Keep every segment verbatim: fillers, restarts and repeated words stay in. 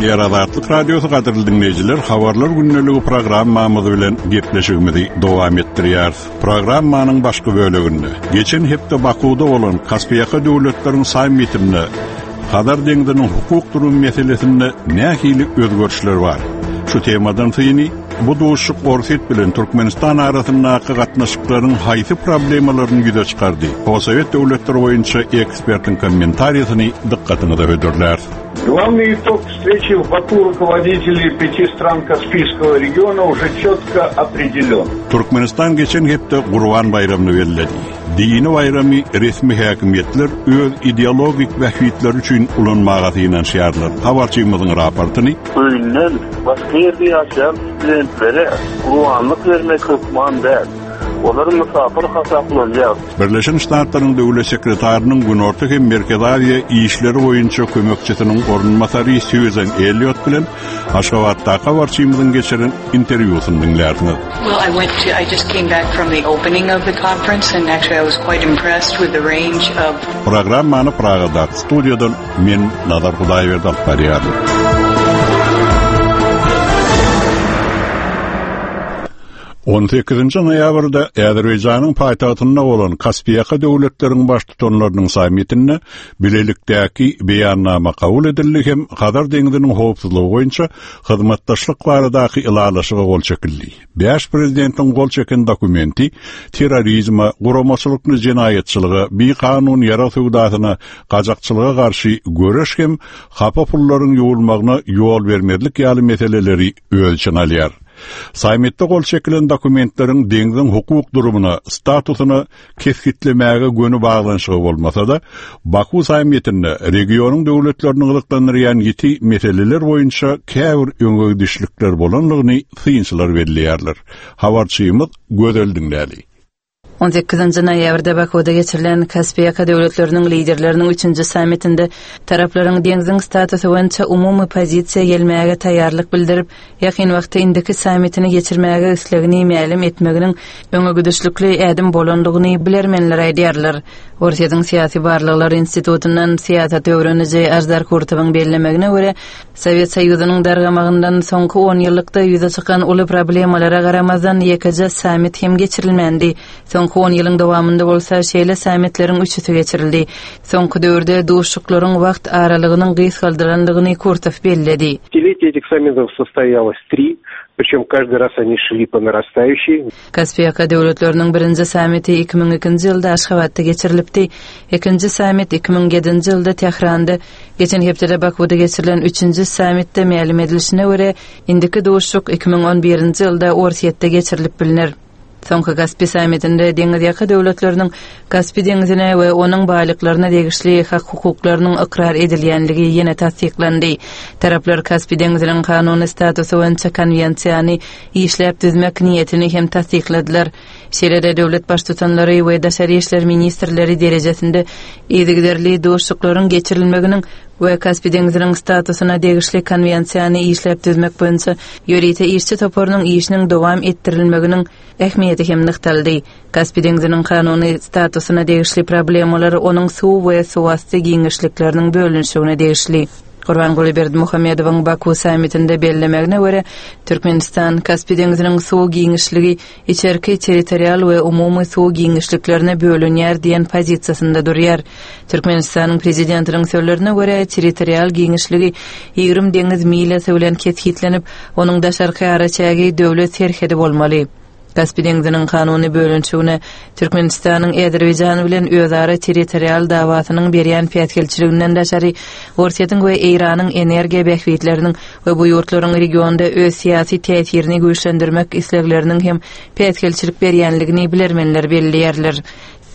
Gepleýär Azatlyk Radiosy gadyrly diňleýjiler, habarlar gündeligi programmamyz bilen gepleşigimizi dowam etdirýäris. Programmanyň başky böleginde geçen hepde Bakuwda bolan Kaspiýaka döwletleriň sammitinde Hazar deňziniň hukuk durum meselesinde nähili özgerişler bar? Şu temadan syny bu duşuk Orsýet bilen Türkmenistan arasyndaky gatnaşyklaryň haýsy problemalaryny ýüze çykardy? Posowet döwletleri boýunça ekspertiň kommentariýasyny dykgatyňyza hödürlär. Главный итог встречи в Баку руководителей пяти стран Каспийского региона уже четко определен. Türkmenistan geçen hepde Gurban baýramyny belledi. Dini baýramy resmi häkimiýetler öz ideologik bähbitleri üçin ulanmaga synanyşýarlar. Habarçymyzyň raportyny Öýünden başga ýerde ýaşaýan studentlere gurbanlyk bermek hökman däl. Olar musafir hasaplanýar. Birleşen Ştatlaryň Döwlet sekretarynyň Günorta hem Merkezi Aziýa işleri boýunça kömekçisiniň orunbasary Susan Elliot bilen Aşgabatdaky habarçymyzyň geçiren interwýusyny diňlärsiňiz. Well, I went to, I just came back from the opening of the conference and actually I was quite impressed with the range of Programmany Pragadaky studiýadan men Nazar Hudaýberdi alyp barýaryn. On sekizinji noýabrda Azerbaýjanyň paýtagtynda bolan Kaspiýaka döwletleriň baştutanlarynyň sammitinde bilelikdäki beýannama kabul edildi hem Hazar deňziniň howpsuzlygy boýunça hyzmatdaşlyk baradaky ylalaşyga gol çekildi. Bäş prezidentiň gol çeken dokumenti terrorizme, guramaçylykly jenaýatçylyga, bikanun ýarag söwdasyna, gaçakçylyga garşy göreş hem hapa pullaryň ýuwulmagyna ýol bermezlik ýaly meseleleri öz içine alýar. Sammitde gol çekilen dokumentleriň deňziň hukuk durumuna, statusyna kesgitlemäge göni baglanyşygy bolmasa da, Baku sammitinde regionyň döwletlerini gyzyklandyrýan ýiti meseleler boýunça käbir öňe gidişlikler bolanlygyny synçylar belleýärler. Habarçymyz Gözel diňläli. On sekizinji noýabrda Bakuwda geçirilen Kaspiýaka döwletleriniň liderleriniň üçünji sammitinde taraplaryň deňziň statusy boýunça umumy pozisiýa gelmäge taýýarlyk bildirip, ýakyn wagtda indiki sammitini geçirmäge islegini mälim etmeginiň öňe gidişlikli ädim bolandygyny bilermenler aýdýarlar. Orsýetiň Syýasy Barlaglar Institutyndan syýasat öwreniji Aždar Kurtowyň bellemegine görä, Sowet Soýuzynyň dargamagyndan soňky on ýyllykda ýüze çykan uly problemalara garamazdan ýekeje sammit hem geçirilmändi. Soňky on ýylyň dowamynda bolsa şeýle sammitleriň üçüsi geçirildi. Soňky döwürde duşuklaryň wagt aralygynyň gysgaldylandygyny Kurtow belledi. Десятилетие этих саммитов состоялось три, причем каждый раз они шли по нарастающей. Kaspiýaka döwletleriniň birinji sammiti iki müň ikinji ýylda Aşgabatda geçirilipdi. Ikinji sammit iki müň ýedinji ýylda Tähranda, geçen hepdede Bakuwda geçirilen üçünji sammitde mälim edilişine görä, indiki duşuk iki müň on birinji ýylda Orsýetde geçirilip biliner. Soňky Kaspi sammitinde deňizýaka döwletleriniň Kaspi deňzine we onuň baýlyklaryna degişli hak hukuklarynyň ykrar edilýänligi ýene tassyklandy. Taraplar Kaspi deňziniň kanuny statusy boýunça konwensiýany işläp düzmek niýetini hem tassykladylar. Şeýle-de döwlet baştutanlary we daşary işler ministrleri derejesinde yzygiderli duşuklaryň geçirilmeginiň we Kaspi deňziniň statusyna degişli konwensiýany işläp düzmek boýunça ýörite işçi toparynyň işiniň dowam etdirilmeginiň ähmiýeti hem nygtaldy. Kaspi deňziniň kanuny statusyna degişli problemalar onuň suw we suwasty giňişlikleriniň bölünişigine degişli. Gurbanguly Berdimuhamedowyň Baku sammitinde bellemegine görä, Türkmenistan Kaspi deňziniň suw giňişligi içerki territorial we umumy suw giňişliklerine bölünýär diýen pozisiýasynda durýar. Türkmenistanyň prezidentiniň sözlerine görä, territorial giňişligi ýigrimi deňiz milýasy bilen kesgitlenip, onuň daşarky araçägi döwlet serhedi bolmaly. Kaspi deňziniň kanuny bölünişigine Türkmenistanyň Azerbaýjan bilen özara territorial dawasynyň berýän päsgelçiliginden daşary Orsýetiň we Eýranyň energiýa bähbitleriniň we bu ýurtlaryň regionda öz syýasy täsirini güýçlendirmek islegleriniň hem päsgelçilik berýänligini bilermenler belleýärler.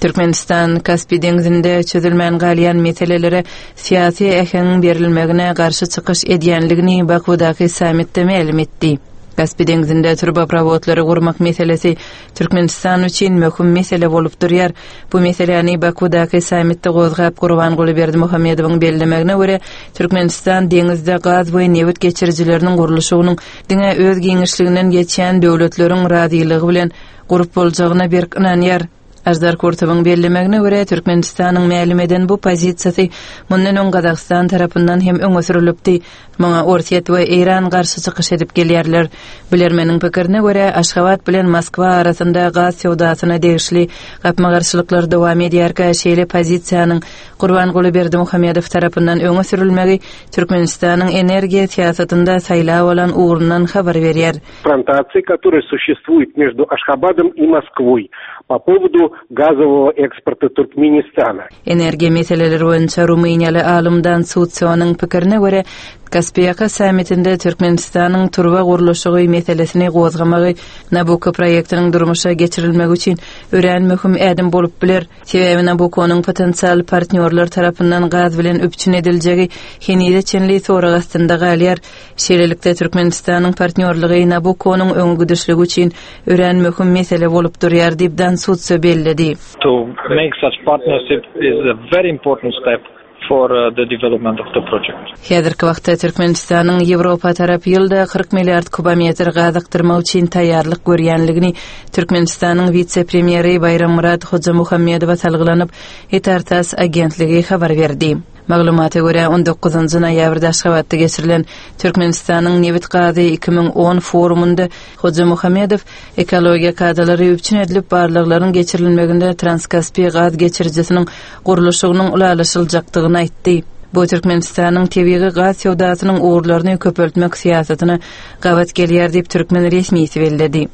Türkmenistan Kaspi deňzinde çözülmän galýan meselelere syýasy äheňiň berilmegine garşy çykyş edýänligini Bakuwdaky sammitde mälim etdi. Kaspi deňzinde turboprovodlary gurmak meselesi Türkmenistan üçin möhüm mesele bolup durýar. Bu meseläni Bakuwdaky sammitde gozgap Gurbanguly Berdimuhamedowyň bellemegine görä, Türkmenistan deňizde gaz we nebit geçirijileriniň gurluşygynyň diňe öz giňişliginden geçýän döwletleriň razylygy bilen gurup boljagyna berk ynanýar. Aždar Kurtowyň bellemegine görä, Türkmenistanyň mälim eden bu pozisiýasy mundan öň Gazagystan tarapyndan hem öňe sürülipdi. Muňa Orsýet we Eýran garşy çykyş edip gelýärler. Bilermeniň pikirine görä, Aşgabat bilen Moskwa arasynda gaz söwdasyna degişli gapma-garşylyklar dowam edýärkä, şeýle pozisiýanyň Gurbanguly Berdimuhamedow tarapyndan öňe sürülmegi Türkmenistanyň energiýa syýasatynda saýlap alan ugrundan habar berýär. Конфронтации, которая существует между Ашхабадом и Москвой по поводу газового экспорта Туркменистана. Energiýa meseleleri boýunça Rumyniýaly alym Dan Sutsionyň pikirine görä, Kaspiýaka sammitinde Türkmenistanyň turba gurluşygy meselesini gozgamagy Nabucco proýektiniň durmuşa geçirilmegi üçin örän möhüm ädim bolup biler. Sebäbi Nabucco'nyň potensial partnýorlar tarapyndan gaz bilen üpjün ediljegi henize çenli sorag astynda galýar. Şeýlelikde Türkmenistanyň partnýorlygy Nabucco'nyň öňe gidişligi üçin örän möhüm mesele bolup durýar diýip Dan Sutsio belledi. To make such partnership is a very important step for uh, the development of the project. Häzirki wagtda Türkmenistanyň Ýewropa tarap ýylda kyrk milliard kubometr gaz akdyrmak üçin taýýarlyk görýänligini Türkmenistanyň wise-premýeri Baýrammyrat Hojamuhammedowa salgylanyp, Itar-Tass agentligi habar berdi. Maglumata görä, on dokuzynjy noýabrda Aşgabatda geçirilen Türkmenistanyň nebit gazy iki müň on forumynda Hojamuhammedow ekologiýa kadalary üpjün edilip barlaglaryň geçirilmeginde Transkaspi gaz geçirijisiniň gurluşygynyň ylalaşyljakdygyny aýtdy. Bu Türkmenistanyň tebigy gaz söwdasynyň ugurlaryny köpeltmek syýasatyna gabat gelýär diýip türkmen resmisi belledi.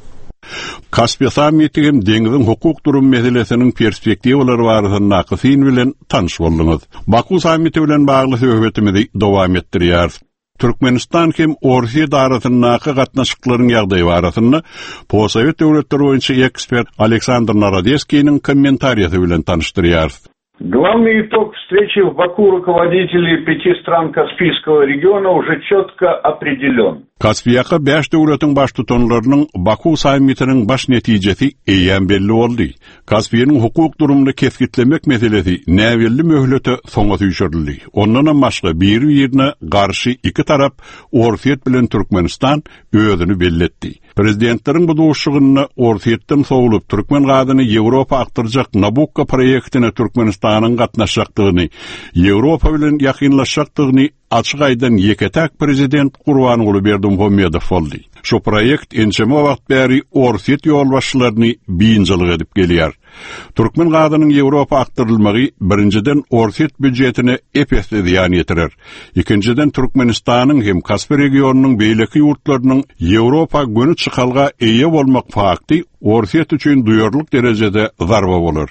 Kaspi sammiti hem deňiziň hukuk durum meselesiniň perspektiwalary barasyndaky syn bilen tanyş bolduňyz. Baku sammiti bilen bagly söhbetimizi dowam etdirýäris. Türkmenistan hem Orsýet arasyndaky gatnaşyklaryň ýagdaýy barasynda Posowet döwletleri boýunça ekspert Aleksandr Narodeskiniň kommentariýasy bilen tanyşdyrýarys. Главный итог встречи в Баку руководителей пяти стран Каспийского региона уже четко определен. Kaspiýaka bäş döwletiň baştutanlarynyň Baku sammitiniň baş netijesi eýýäm belli boldy. Kaspiýanyň hukuk durumyny kesgitlemek meselesi näbelli möhlete soňa süýşürildi. Ondanam başga bir-birine garşy iki tarap Orsýet bilen Türkmenistan özüni belletdi. Prezidentleriň bu duşuşygynda Orsýetden sowlup türkmen gazyny Ýewropa akdyrjak Nabucco proýektine Türkmenistanyň gatnaşjakdygyny, Ýewropa bilen ýakynlaşjakdygyny açyk aýdan ýeke-täk prezident Gurbanguly Berdimuhamedow boldy. Şu proýekt ençeme wagt bäri Orsýet ýolbaşçylaryny biynjalyk edip gelýär. Türkmen gazynyň Ýewropa akdyrylmagy birinjiden Orsýet býujetine ep-esli zyýan ýetirer. Ikinjiden Türkmenistanyň hem Kaspi regionynyň beýleki ýurtlarynyň Ýewropa göni çykalga eýe bolmak fakty Orsýet üçin duýarlyk derejede zarba bolar.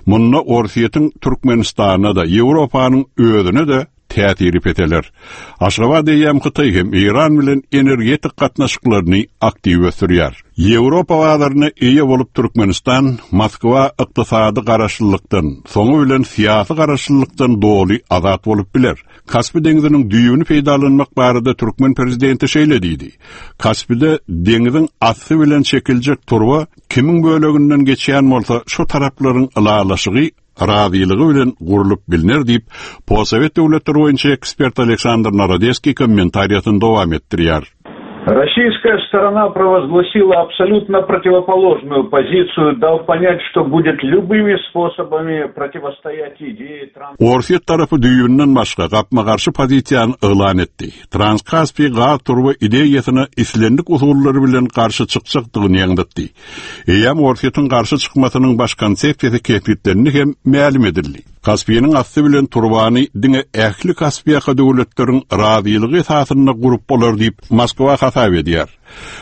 Munda Orsýetiň Türkmenistana da Ýewropanyň özüne de täsiri peteler. Aşgabat eýýäm Hytaý hem Eýran bilen energetik gatnaşyklaryny aktiw ösdürýär. Ýewropa bazaryna eýe bolup Türkmenistan Moskwa ykdysady garaşlylykdan, soňy bilen syýasy garaşlylykdan doly azat bolup biler. Kaspi deňziniň düýbüni peýdalanmak barada türkmen prezidenti şeýle diýdi. Kaspide deňziň asty bilen çekiljek turba kimiň böleginden geçýän bolsa şu taraplaryň ylalaşygy razylygy bilen gurlup bilner diýip, Posowet döwletleri boýunça ekspert Aleksandr Narodeskiý kommentariýasyny dowam etdirýär. Российская сторона провозгласила абсолютно противоположную позицию, дав понять, что будет любыми способами противостоять идее транс- Orsýet tarapy düýbünden başga gapma-garşy pozisiýany yglan etdi. Transkaspi gaz turba ideýasyna islendik usullary bilen garşy çykjakdygyny ýaňzytdy. Eýýäm Orsýetiň garşy çykmasynyň baş konsepsiýasy kesgitlendi hem mälim edildi. Kaspiyanyň asty bilen turbany diňe ähli Kaspiýaka döwletleriň razylygy esasynda gurup bolar diýip Moskwa hasap edýär.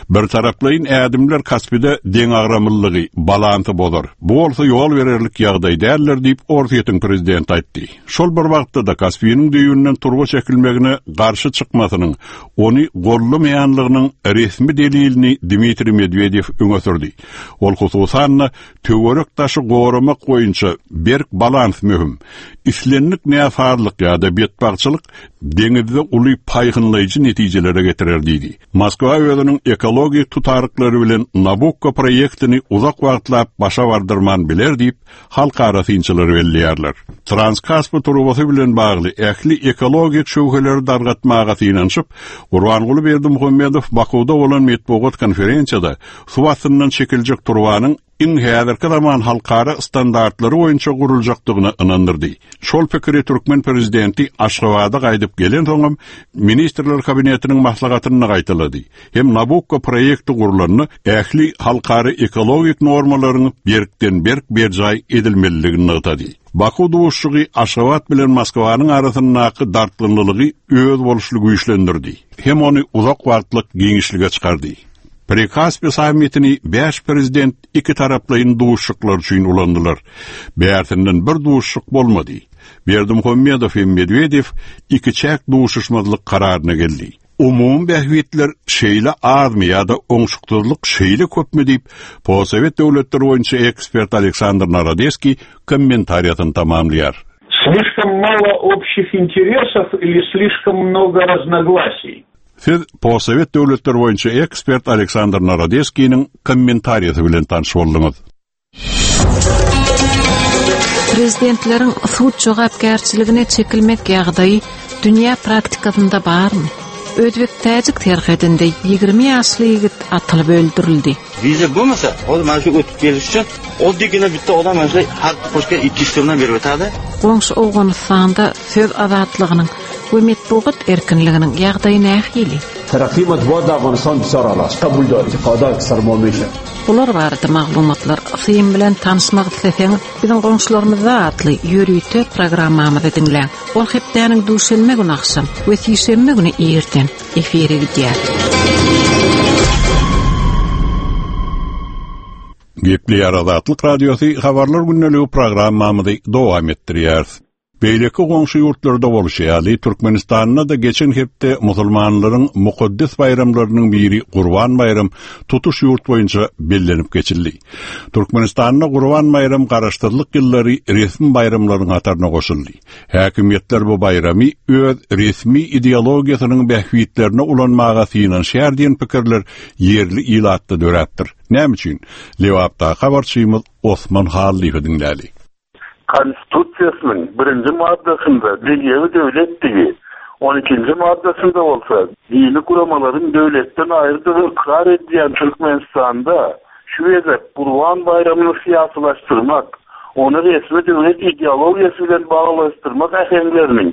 Bir taraplaýyn ädimler Kaspide deňagramlylygy, balansy bozar. Bu bolsa ýol bererlik ýagdaý däldir diýip Orsýetiň prezidenti aýtdy. Şol bir wagtda da Kaspiyanyň düýbünden turba çekilmegine garşy çykmasynyň, ony gollamaýanlygynyň resmi delilini Dmitriý Medwedew öňe sürdi. Ol hususan töwerek daşy goramak boýunça berk balans möhüm. Islendik näsazlyk ýa-da betbagtçylyk deňizde uly paýhynlaýjy netijelere getirer diýdi. Moskwa özüniň ekologik tutaryklary bilen Nabucco proýektini uzak wagtlap başa bardyrman biler diýip halkara synçylary belleýärler. Transkaspi turbasy bilen bagly ähli ekologik şöwheleri dargatmaga synanyşyp, Gurbanguly Berdimuhamedow Bakuwda bolan metbugat konferensiýada suw astyndan çekiljek turbanyň iň häzirki zaman halkara standartlary boýunça guruljakdygyna ynandyrdy. Şol pikiri türkmen prezidenti Aşgabada gaýdyp gelen soňam ministrler kabinetiniň maslahatynda gaýtalady. Hem Nabukko proýekti gurulanda ähli halkara ekologik normalaryň berkden berk berjaý edilmelidigini nygtady. Baku duşuşygy Aşgabat bilen Moskwanyň arasyndaky dartgynlylygy öz boluşly güýçlendirdi. Hem ony uzak wagtlyk giňişlige çykardy. Prikaspi sammitini beş prezident iki taraplaýyn duşuşyklar üçin ulandylar. Bärsinden bir duşuşyk bolmady. Berdimuhamedow hem Medwedew iki çäk duşuşmazlyk kararyna geldi. Umum bähbitler şeýle azmy ýa-da oňşuksyzlyk şeýle köpmi diýip, Posowet döwletleri boýunça ekspert Aleksandr Narodeskiý kommentariýasyny tamamlaýar. Слишком мало общих интересов или слишком много разногласий? Siz Posowet döwletleri boýunça ekspert Aleksandr Narodeskiniň kommentariýasy bilen tanyş bolduňyz. Prezidentleriň sud jogapkärçiligine çekilmek ýagdaýy dünýä praktikasynda barmy? Özbek täjik serhedinde ýigrimi ýaşly ýigit atylyp öldürildi. Viza bo'lmasa, hozir mana shu o'tib kelish uchun oddiygina bitta odam mana shu har qo'shgan ikki yuz so'mdan berib o'tadi. Goňşy Owganystanda söz azatlygynyň we metbugat erkinliginiň ýagdaýy nähili? ترقی مطبوعات در افغانستان بسیار اعلی قبول دارد انتقادات اکثر ما میشه. Bular barada maglumatlar syn bilen tanyşmak isleseňiz, biziň goňşularymyzda atly ýörite programmamyzy diňläň. Ol hepdäniň duşenbe güni agşam we sişenbe güni irden efire gidýär. Gepleýär Azatlyk Radiosy habarlar günlügi programmamyzy dowam etdirýär. Beýleki goňşy ýurtlarda bolşy ýaly Türkmenistanda da geçen hepde musulmanlaryň mukaddes baýramlarynyň biri Gurban baýram tutuş ýurt boýunça bellenip geçildi. Türkmenistanda Gurban baýram garaşsyzlyk ýyllary resmi baýramlaryň hataryna goşuldy. Häkimiýetler bu baýramy öz resmi ideologiýasynyň bähbitlerine ulanmaga synanyşýar diýen pikirler ýerli ilatda döräpdir. Näme üçin? Lewapda habarçymyz Osman Hallyýew diňläli. Konstitusiýasynyň birinji maddasynda dünýewi döwletdigi, on ikinji maddasynda bolsa dini guramalaryň döwletden aýrydygy ykrar edýän Türkmenistanda şu gezek Gurban baýramyny syýasylaşdyrmak, ony resmi döwlet ideologiýasy bilen baglaşdyrmak äheňleriniň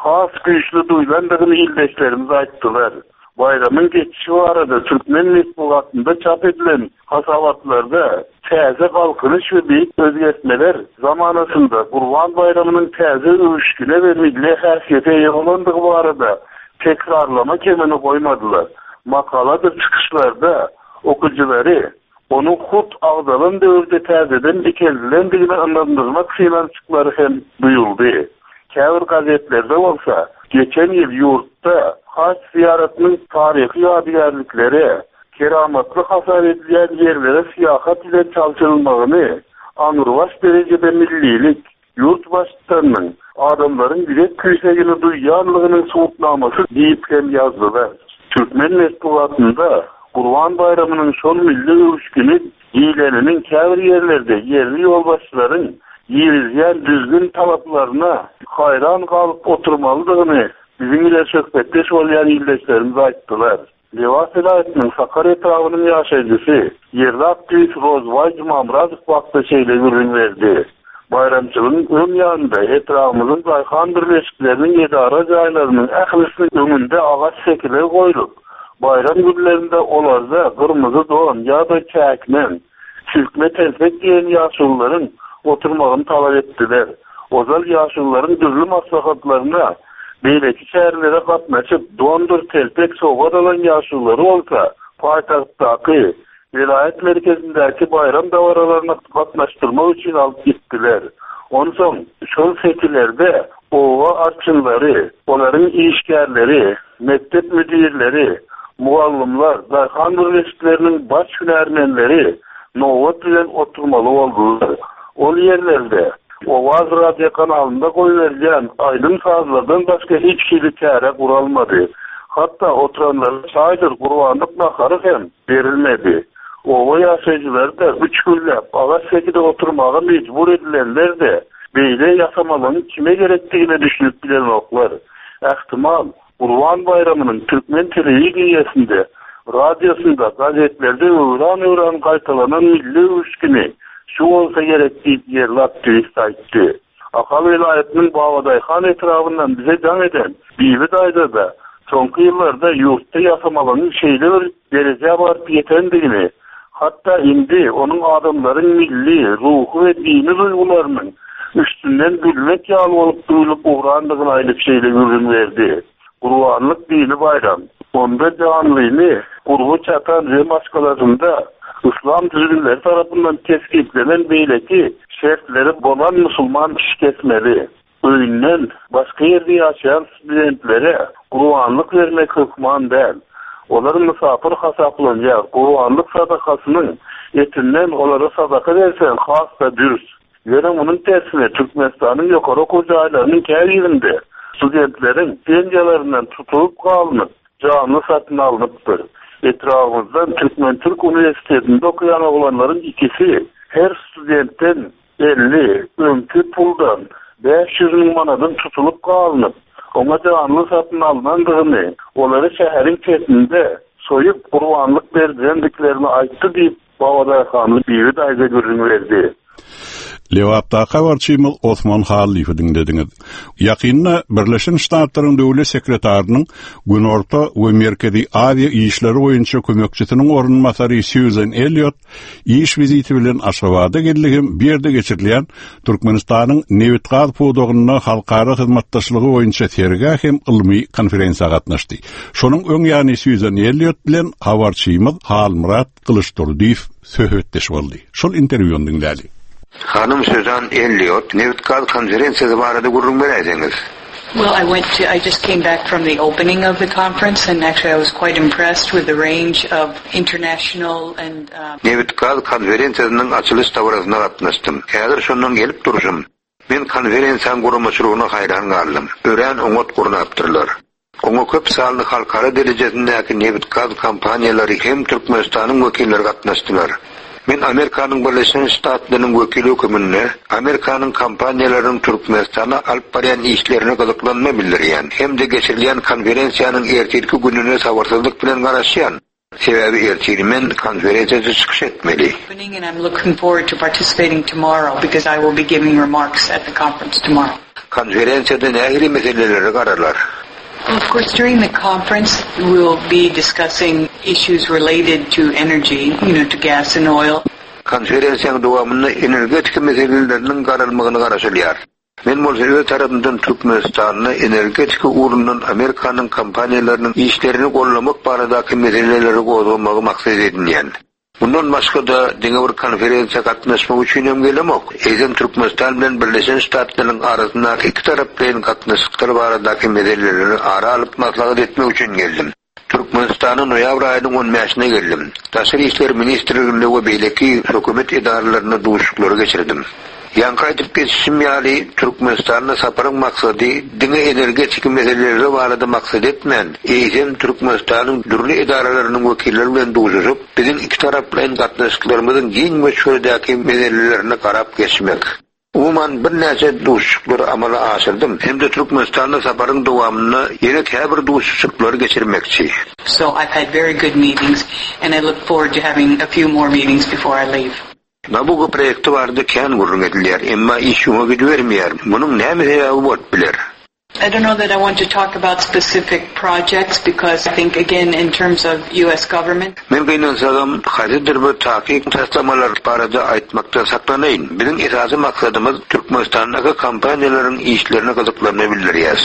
has güýçli duýlandygyny ildeşlerimiz aýtdylar. Baýramyň geçişi barada Türkmen metbugatynda çap edilen hasabatlarda täze galkynyş we beýik özgertmeler zamanasynda Gurban baýramynyň täze öwüşgine we milli häsiýete eýe bolandygy barada tekrarlama kemini goýmadylar. Makaladyr çykyşlarda okyjylary onuň hut agzalan döwürde täzeden dikeldilendigine ynandyrmak synanyşyklary hem duýuldy. Käbir gazetlerde bolsa geçen ýyl ýurtda haç ziýaratynyň taryhy ýadygärlikleri, keramatly hasap edilýän ýerlere syýahat ile çalşyrylmagyny aňrybaş derejede millilik, ýurt baştutanynyň adamlaryň ýürek küýsegini duýýanlygynyň subutnamasy diýip hem ýazdylar. Türkmen metbugatynda Gurban baýramynyň şol milli öwüşgini diýleniniň käbir ýerlerde ýerli ýolbaşçylaryň girizýän düzgün talaplaryna haýran galyp oturmalydygyny biziň ile söhbetdeş bolýan ildeşlerimiz aýtdylar. Lebap welaýatynyň Sakar etrabynyň ýaşaýjysy ýerli aktiwist Rozbaý Jumamyradow wagtda şeýle gürrüň berdi. Baýramçylygyň öň ýanynda etrabymyzyň daýhan birleşikleriniň edara jaýlarynyň ählisiniň öňünde agaç sekiler goýlup, bayram günlerinde olarda gyrmyzy don ýa-da çäkmen, silkme telpek diýen ýaşulularyň oturmagyny talap etdiler. Ozal ýaşulularyň dürli maslahatlaryna beýleki şäherlere gatnaşyp, dondur telpek sowgat alan ýaşululary bolsa, paýtagtdaky welaýat merkezindäki bayram dabaralaryna gatnaşdyrmak üçin alyp gitdiler. Onsoň şol sekilerde owa arçynlary, olaryň işgärleri, mekdep müdirleri, mugallymlar, daýhan birleşikleriniň baş hünärmenleri nobat bilen oturmaly boldular. Ol ýerlerde Owaz radio kanalynda goýberilýän aýdym sazlardan başga hiç hili çäre guralmady. Hatda oturanlara çaýdyr gurbanlyk nahary hem berilmedi. Owa ýaşaýjylary-da üç günläp agaç sekide oturmaga mejbur edilenler-de beýle ýasamalygyň kime gerekdigine düşünip bilenoklar. Ähtimal Gurban baýramynyň Türkmen telewideniýesinde Radiosynda, gazetlerde öwran-öwran gaýtalanan milli öwüşgini şu bolsa gerek diýip ýerli aktiwist aýtdy. Ahal welaýatynyň Babadaýhan etrabyndan bize jaň eden Bibi daýza-da soňky ýyllarda ýurtda ýasamalygyň şeýle bir derejä baryp ýetendigini, hatda indi onuň adamlaryň milli, ruhy we dini duýgularynyň üstünden gülmek ýaly bolup duýlup ugrandygyny aýdyp şeýle gürrüň berdi. Gurbanlyk dini baýram. Onda janlyny gurby çatan we maşgalasynda yslam düzgünleri tarapyndan kesgitlenen beýleki şertleri bolan musulman kişi kesmeli. Öýünden başga ýerde ýaşaýan studentlere gurbanlyk bermek hökman däl. Olar mysapyr hasaplanýar. Gurbanlyk sadakasynyň etinden olara sadaka berseň has-da dürs. Ýöne munuň tersine Türkmenistanyň ýokary okuw jaýlarynyň käbirinde studentleriň pensiýalaryndan tutulyp galynyp, janly satyn alnypdyr. Etrabymyzdan Türkmen-Türk uniwersitetinde okaýan oglanlaryň ikisi her studentden elli öňki puldan bäş ýüz müň manadyň tutulyp galynyp, oňa janly satyn alnandygyny, olary şäheriň çetinde soýup gurbanlyk berdirendiklerini aýtdy diýip, Babadaýhanly Bibi daýza gürrüň berdi. Lebapdaky habarçymyz Osman Hallyýewi diňlediňiz. Ýakynda Birleşen Ştatlaryň Döwlet sekretarynyň Günorta we Merkezi Aziýa işleri boýunça kömekçisiniň orunbasary Susan Elliot iş wiziti bilen Aşgabada geldi hem bu ýerde geçirilýän Türkmenistanyň nebit-gaz pudagynda halkara hyzmatdaşlygy boýunça sergä hem ylmy konferensiýa gatnaşdy. Şonuň öň ýany Susan Elliot bilen habarçymyz Halmyrat Gylyçdurdyýew söhbetdeş boldy. Şol interwýuny diňläli. Hanym Susan Elliot nebit-gaz konferensiýasy barada gürrüň beräýseňiz. Well, I went to, I just came back from the opening of the conference and actually I was quite impressed with the range of international and um, Nebit-gaz konferensiýasynyň açylyş dabarasyna gatnaşdym. Häzir şondan gelip durşum. Men konferensiýanyň guramaçylygyna haýran galdym. Örän oňat gurnapdyrlar. Oňa köp sanly halkara derejesindäki nebit-gaz kompaniýalary hem Türkmenistanyň wekilleri gatnaşdylar. Men Amerikanyň Birleşen Ştatlarynyň wekili hökmünde Amerikanyň kompaniýalarynyň Türkmenistana alyp barýan işlerine gyzyklanma bildirýän hem-de geçirilýän konferensiýanyň ertirki gününe sabyrsyzlyk bilen garaşýan. Sebäbi ertir men konferensiýada çykyş etmeli. opening and I'm looking forward to participating tomorrow because I will be giving remarks at the conference tomorrow. Konferensiýada nähili meselelere garalar? Well, of course, during the conference, we'll be discussing issues related to energy, you know, to gas and oil. Konferensiýanyň dowamynda energetika meseleleriniň garalmagyna garaşylýar. Men bolsa öz tarapymdan Türkmenistanda energetika ugrundan Amerikanyň kompaniýalarynyň işlerini gollamak baradaky meseleleri gozgamagy maksat edinýän. Mundan başga-da diňe bir konferensiýa gatnaşmak üçin hem gelemok. Eýsem Türkmenistan bilen Birleşen Ştatlaryň arasyndaky iki taraplaýyn gatnaşyklar baradaky meseleleri ara alyp maslahat etmek üçin geldim. Türkmenistana noýabr aýynyň on bäşine geldim. Daşary işler ministrliginde we beýleki hökümet edaralarynda duşuşyklary geçirdim. Ýaňky aýdyp geçişim ýaly Türkmenistanda saparyň maksady diňe energetika meseleleri barada maksat etmän, eýsem Türkmenistanyň dürli edaralarynyň wekilleri bilen duşuşyp, biziň iki taraplaýyn gatnaşyklarymyzyň giň möçberdäki meselelerine garap geçmek. Umuman birnäçe duşuşyklary amala aşyrdym hem-de Türkmenistanda saparyň dowamynda ýene käbir duşuşyklary geçirmekçi. So I've had very good meetings and I look forward to having a few more meetings before I leave. Nabucco proýekti barada kän gürrüň edilýär, emma iş öňe gidibermeýär. Munuň näme sebäbi bolup biler? I don't know that I want to talk about specific projects because I think again in terms of U S government. Men gynansagam haýsydyr bir takyk taslamalar barada aýtmakdan saklanaýyn. Biziň esasy maksadymyz Türkmenistandaky kompaniýalaryň işlerine gyzyklanma bildirýär.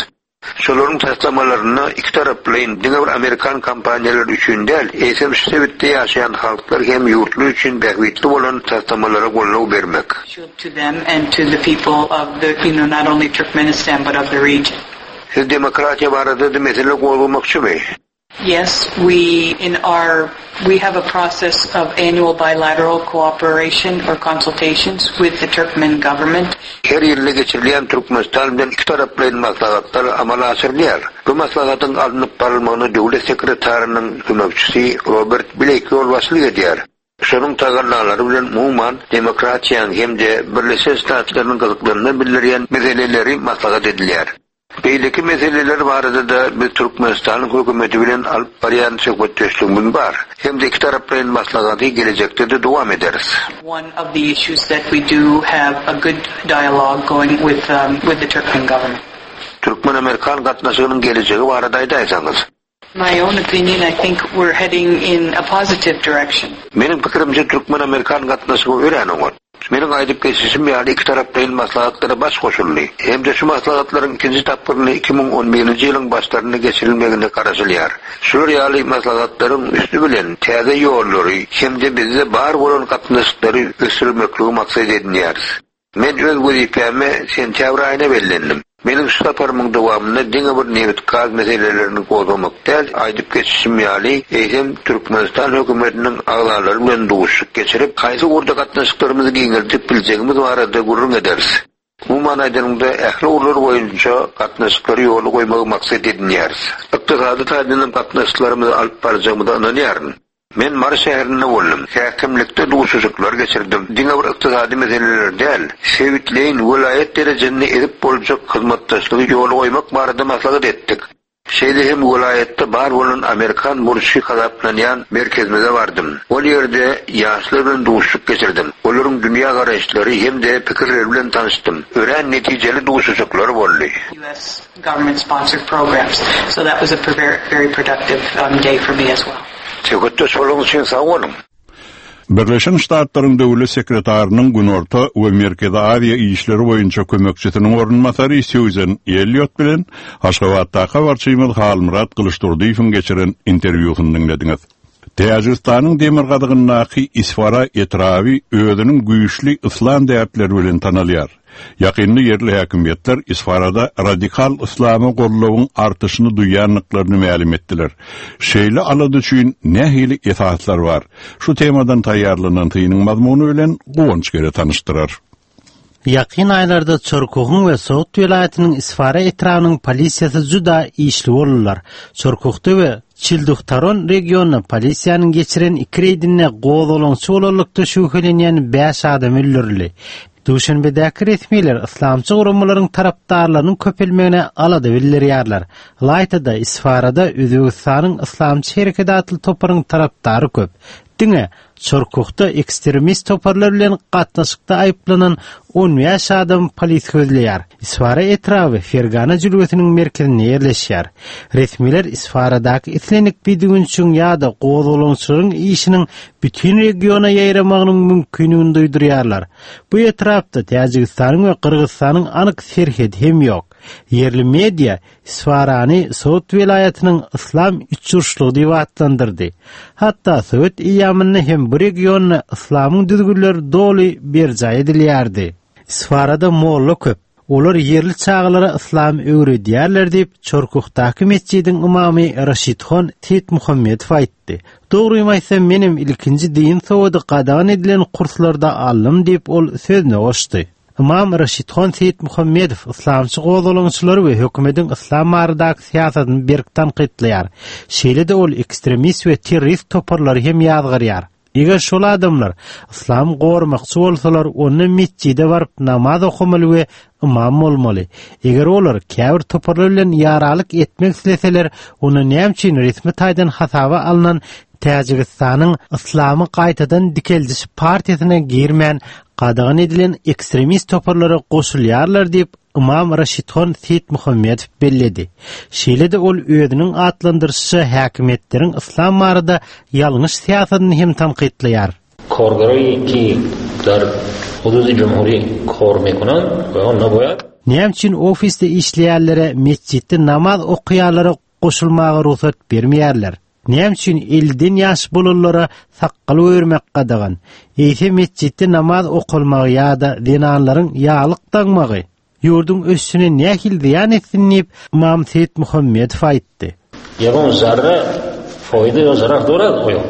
Şolaryň taslamalaryna iki taraplaýyn diňe bir Amerikan kompaniýalary üçin däl, eýsem şu sebitde ýaşaýan halklar hem ýurtlar üçin bähbitli bolan taslamalara goldaw bermek. To them and to the people of the, you know, not only Turkmenistan but of the region. Siz demokratiýa barada da mesele gozgamakçymy? Yes, we in our we have a process of annual bilateral cooperation or consultations with the Turkmen government. Her ýylda geçirilýän Türkmenistan bilen iki taraplaýyn maslahatlar amala aşyrylýar. Bu maslahatyň alnyp barylmagyna döwlet sekretarynyň kömekçisi Robert Blake ýolbaşçylyk edýär. Şonuň tagallalary bilen umuman demokratiýanyň hem-de Birleşen Ştatlarynyň gyzyklanma bildirýän meseleleri maslahat edilýär. Beýleki meseleler barada-da biz Türkmenistanyň hökümeti bilen alyp barýan söhbetdeşligimiz bar. Hem-de iki taraplaýyn maslahaty gelejekde-de dowam ederis. One of the issues that we do have a good dialogue going with um, with the Turkmen government. Türkmen-amerikan gatnaşygynyň gelejegi barada aýdaýsaňyz. My own opinion, I think we're heading in a positive direction. Meniň pikirimçe türkmen-amerikan gatnaşygy örän oňat. Meniň aýdyp geçişim ýaly iki taraplaýyn maslahatlara baş goşuldy. Hem-de şu maslahatlaryň ikinji tapgyryny iki müň on birinji ýylyň başlarynda geçirilmegine garaşylýar. Şular ýaly maslahatlaryň üsti bilen täze ýollary hem-de bizde bar bolan gatnaşyklary ösdürmekligi maksat edinýäris. Men öz wezipäme sentýabr aýyna bellendim. Meniň şu saparymyň dowamynda diňe bir nebit-gaz meselelerini gozgamak däl, aýdyp geçişim ýaly, eýsem Türkmenistan hökümetiniň agzalary bilen duşuşyk geçirip, haýsy ugurda gatnaşyklarymyzy giňeldip biljegimiz barada gürrüň ederis. Umuman aýdanyňda, ähli ugurlar boýunça gatnaşyklary ýola goýmagy maksat edinýäris. Ykdysady taýdan hem gatnaşyklarymyzy alyp barjagymyza ynanýaryn. Men Mary şäherinde boldum. Häkimlikde duşuşyklar geçirdim. Diňe bir ykdysady meseleler däl, sebitleýin, welaýat derejesinde edip boljak hyzmatdaşlygy ýola goýmak barada maslahat etdik. Şeýle hem welaýatda bar bolan amerikan burçy hasaplanýan merkezimize bardym. Ol ýerde ýaşlar bilen duşuşyk geçirdim. Olaryň dünýä garaýyşlary hem-de pikirleri bilen tanyşdym. Örän netijeli duşuşyklar boldy. U S government sponsored programs. So that was a very, very productive um, day for me as well. Söhbetdeş bolanyňyz üçin sag boluň. Birleşen Ştatlaryň Döwlet sekretarynyň Günorta we Merkezi Aziýa işleri boýunça kömekçisiniň orunbasary Susan Elliot bilen Aşgabatdaky habarçymyz Halmyrat Gylyçdurdyýewiň geçiren interwýusyny diňlediňiz. Täjigistanyň demirgazygyndaky Isfara etraby özüniň güýçli islam däpleri bilen tanalýar. Ýakynda ýerli häkimiýetler Isfarada radikal islama goldawyň artyşyny duýandyklaryny mälim etdiler. Şeýle alada üçin nähili esaslar bar? Şu temadan taýýarlanan synyň mazmuny bilen Guwanç Gere tanyşdyrar. Ýakyn aýlarda Çorkuhyň we Sogd welaýatynyň Isfara etrabynyň polisiýasy juda işli boldular. Çorkuhda we Çilduhtaron regionynda polisiýanyň geçiren iki reýdinde gozgalaňçy bolanlykda şübhelenýän bäş adam öldürildi. Duşenbedäki resmiler islamçy guramalaryň tarapdarlarynyň köpelmegine alada bildirýärler. Ylaýta-da Isfarada Özbegistanyň Islamçy Hereketi atly toparyň tarapdary köp. Diňe Çorkuhda ekstremist toparlar bilen gatnaşykda aýyplanan on bäş adam polis gözleýär. Isfara etraby Fergana jülgesiniň merkezinde ýerleşýär. Resmiler Isfaradaky islendik bidüwünçiň ýa-da gozgalaňçylaryň işiniň bütün regiona ýaýramagynyň mümkinligini duýdurýarlar. Bu etrapda Täjigistanyň we Gyrgyzystanyň anyk serhedi hem ýok. Ýerli media Isfarany Sogd welaýatynyň Islam üçburçlugy diýip atlandyrdy. Hatda Sowet eýýamynda hem bu regionda islamyň düzgünleri doly berjaý edilýärdi. Isfarada molla köp. Olar ýerli çagalara islam öwredýärler diýip Çorkuhdaky mesjidiň imamy Raşidhon Seýitmuhammedow aýtdy. Dogrymy aýtsam, menem ilkinji din sowady gadagan edilen kurslarda aldym diýip ol sözüne goşdy. Imam Raşidhon Seýitmuhammedow islamçy gozgalaňçylary we hökümetiň islam baradaky syýasatyny berk tankytlaýar. Şeýle-de ol ekstremist we terrorist toparlary hem ýazgarýar. Eger şol adamlar islam goramakçy bolsalar, onda mesjide baryp namaz okamaly we imam bolmaly. Eger olar käbir toparlar bilen ýaralyk etmek isleseler, onda näme üçin resmi taýdan hasaba alnan Täjigistanyň Islamy gaýtadan dikeldiş partiýasyna girmän gadagan edilen ekstremist toparlara goşulýarlar diýip Imam Raşidhon Seýitmuhammedow belledi. Şeýle-de ol özüniň atlandyryşy häkimiýetleriň islam barada ýalňyş syýasatyny hem tankytlaýar. Korgaroý ki dar hududy cumhuri kor mekunan we onna boýar. Näme üçin ofisde işleýänlere mesjitde namaz okaýanlara goşulmaga rugsat bermeýärler? Näme üçin elden ýaş bolanlara sakgal öwürmek gadagan? Eýse mesjitde namaz okalmagy ýa-da zenanlaryň ýaglyk daňmagy ýurduň ösüşine nähili zyýan etsin diýip Imam Seýitmuhammedow aýtdy. Ýagon zarra foýda ýa zarar dorar oýo.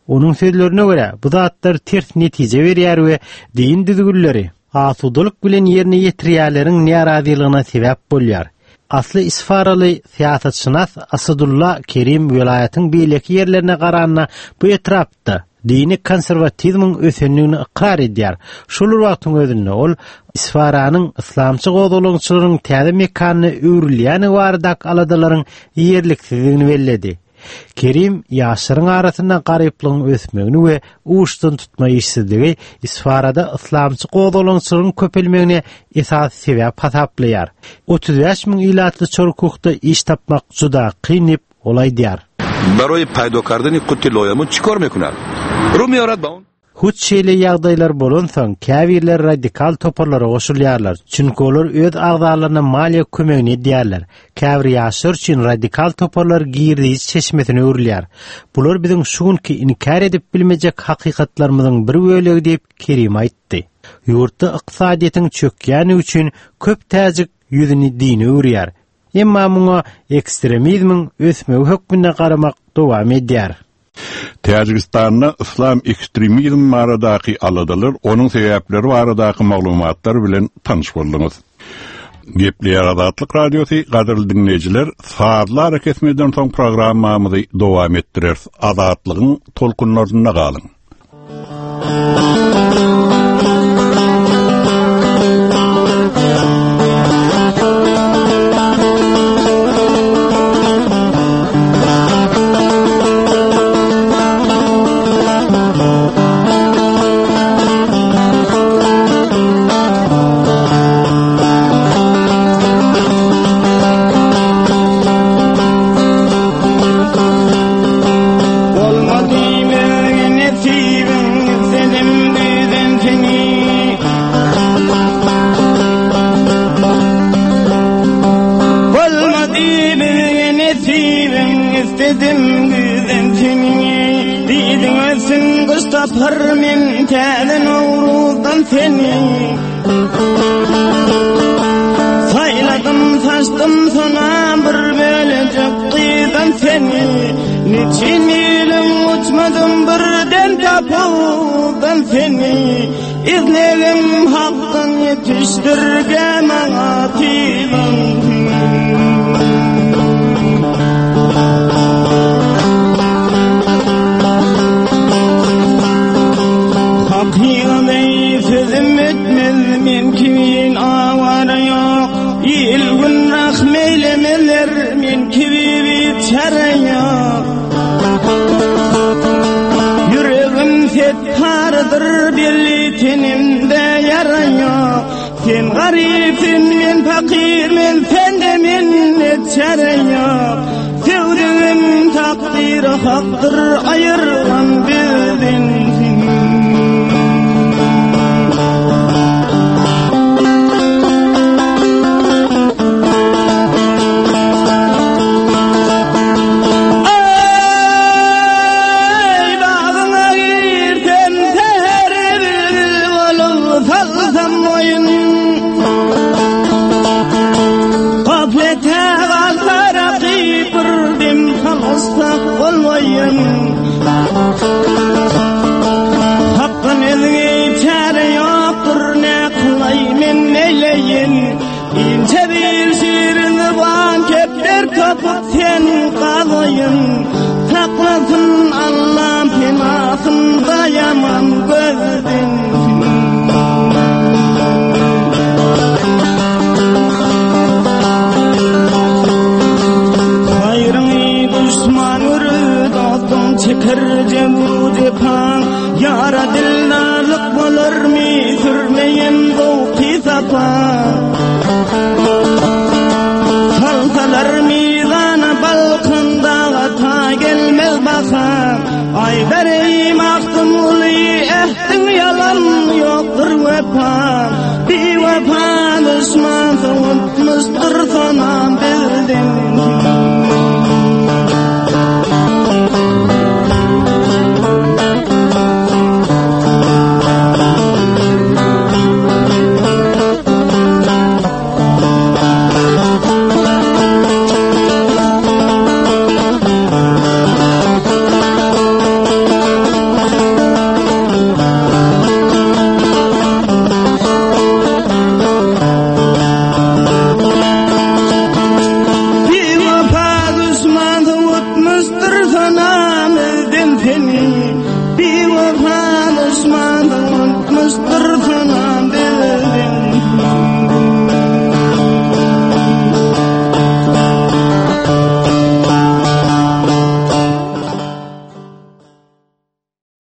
Onuň sözlerine görä, bu zatlar ters netije berýär we din düzgünleri asudalyk bilen ýerine ýetirýärleriň närazylygyna sebäp bolýar. Asly Isfaraly syýasatşynas Asadulla Kerim welaýatyň beýleki ýerlerine garanda bu etrapda dini konserwatizmiň ösendigini ykrar edýär. Şol wagtyň özünde ol Isfaranyň yslamçy gozgalaňçylaryň täze mekanyna öwrülýäni baradaky aladalaryň ýerliksizligini belledi. Kerim ýaşlaryň arasynda garyplygyň ösmegini we uçdan tutma işsizligi Isfarada yslamçy gozgalaňçylaryň köpelmegine esas sebäp hasaplaýar. otuz bäş müň ilatly Çorkuhda iş tapmak juda kyn diýip ol aýdýar. Барои пайдо кардани қути лоямун чӣ кор мекунад? Рӯ меорад ба он Hut şeýle ýagdaýlar bolansoň käbirler radikal toparlara goşulýarlar. Çünki olar öz agzalaryna maliýe kömegini edýärler. Käbir ýaşlar üçin radikal toparlar girdiş çeşmesine öwrülýär. Bular biziň şu günki inkär edip bilmejek hakykatlarymyzyň bir bölegi diýip Kerim aýtdy. Ýurtda ykdysadyýetiň çökýäni üçin köp täjik ýüzüni dine öwürýär. Emma muňa ekstremizmiň ösmegi hökmünde garamak dowam edýär. Täjigistanda islam ekstremizm baradaky aladalar, onuň sebäpleri baradaky maglumatlar bilen tanyş bolduňyz. Gepleýär Azatlyk Radiosy gadyrly diňleýjiler, sazlar kesmeden soň programmamyzy dowam etdireris. Azatlygyň tolkunlarynda galyň.